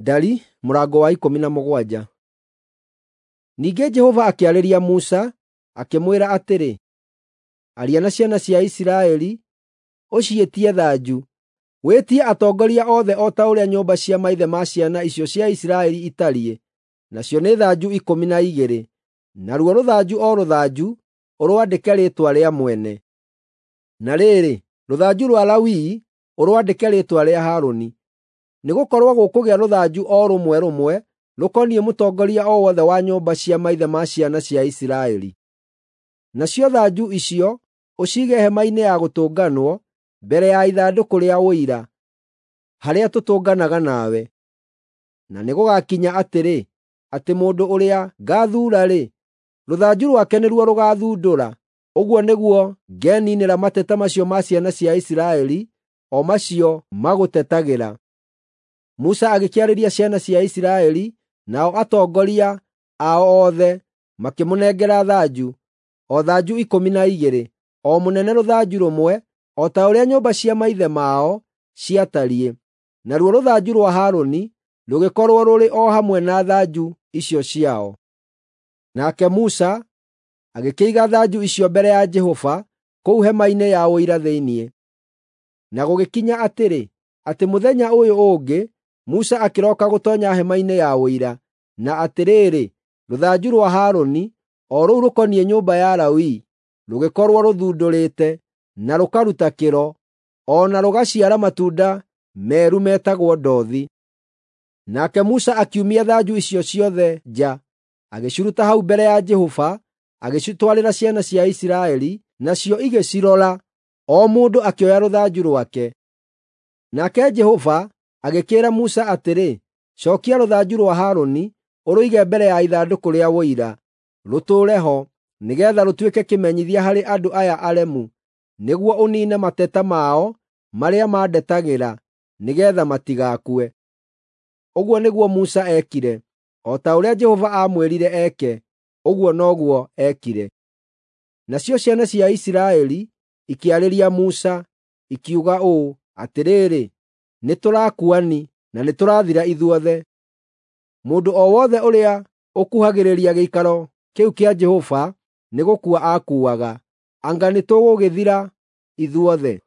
Ndari mũrango wa 17. Ningĩ Jehova akĩarĩria Musa, akĩmwĩra atĩrĩ, Aria na ciana cia Isiraeli, ũciĩtie thanju. Wĩtie atongoria othe o ta ũrĩa nyũmba cia maithe ma ciana icio cia Isiraeli itariĩ, nacio nĩ thanju 12, naruo rũthanju o rũthanju ũrwandĩke rĩĩtwa rĩa mwene. Na rĩrĩ, rũthanju rwa Lawii ũrwandĩke rĩĩtwa rĩa Harũni, nĩgũkorwo gũkũgĩa rũthanju o rũmwe rũmwe rũkoniĩ mũtongoria o wothe wa nyũmba cia maithe ma ciana cia Isiraeli. Nacio thanju icio ũciige hema-inĩ ya gũtũnganwo mbere ya ithandũkũ rĩa Ũira, harĩa tũtũnganaga nawe. Na nĩgũgakinya atĩrĩ, atĩ mũndũ ũrĩa ngaathuura-rĩ, rũthanju rwake nĩruo rũgaathundũra. Ũguo nĩguo ngeniinĩra mateta macio ma ciana cia Isiraeli, o macio magũtetagĩra. Musa agĩkĩarĩria ciana cia Isiraeli, nao atongoria ao othe makĩmũnengera thanju, o thanju 12, o mũnene rũthanju rũmwe, o ta ũrĩa nyũmba cia maithe mao ciatariĩ. Naruo rũthanju rwa Harũni rũgĩkorwo rũrĩ o hamwe na thanju icio ciao. Nake Musa agĩkĩiga thanju icio mbere ya Jehova kũu hema-inĩ ya Ũira thĩinĩ. Na gũgĩkinya atĩrĩ, atĩ mũthenya ũyũ ũngĩ Musa akĩroka gũtoonya hema-inĩ ya Ũira, na atĩrĩrĩ, rũthanju rwa Harũni, o rũu rũkoniĩ nyũmba ya Lawi, rũgĩkorwo rũthundũrĩte, na rũkaruta kĩro, o na rũgaciara matunda meru metagwo ndothi. Nake Musa akiumia thanju icio ciothe nja, agĩciruta hau mbere ya Jehova, agĩcitwarĩra ciana cia Isiraeli, nacio igĩcirora, o mũndũ akĩoya rũthanju rwake. Nake Jehova agĩkĩĩra Musa atĩrĩ, Cookia rũthanju rwa Harũni, ũrũige mbere ya ithandũkũ rĩa Ũira, rũtũũre ho, nĩgeetha rũtuĩke kĩmenyithia harĩ andũ aya aremu, nĩguo ũniine mateta mao marĩa mandetagĩra, nĩgeetha matigakue. Ũguo nĩguo Musa eekire. O ta ũrĩa Jehova aamwĩrire eke, ũguo noguo eekire. Nacio ciana cia Isiraeli ikĩarĩria Musa, ikiuga ũũ, Atĩrĩrĩ, nĩtũrakuani na nĩtũrathira ithuothe! Mũndũ o wothe ũrĩa ũkuhagĩrĩria gĩikaro kĩu kĩa Jehova nĩgũkua akuaga. Anga nĩtũgũgĩthira ithuothe?”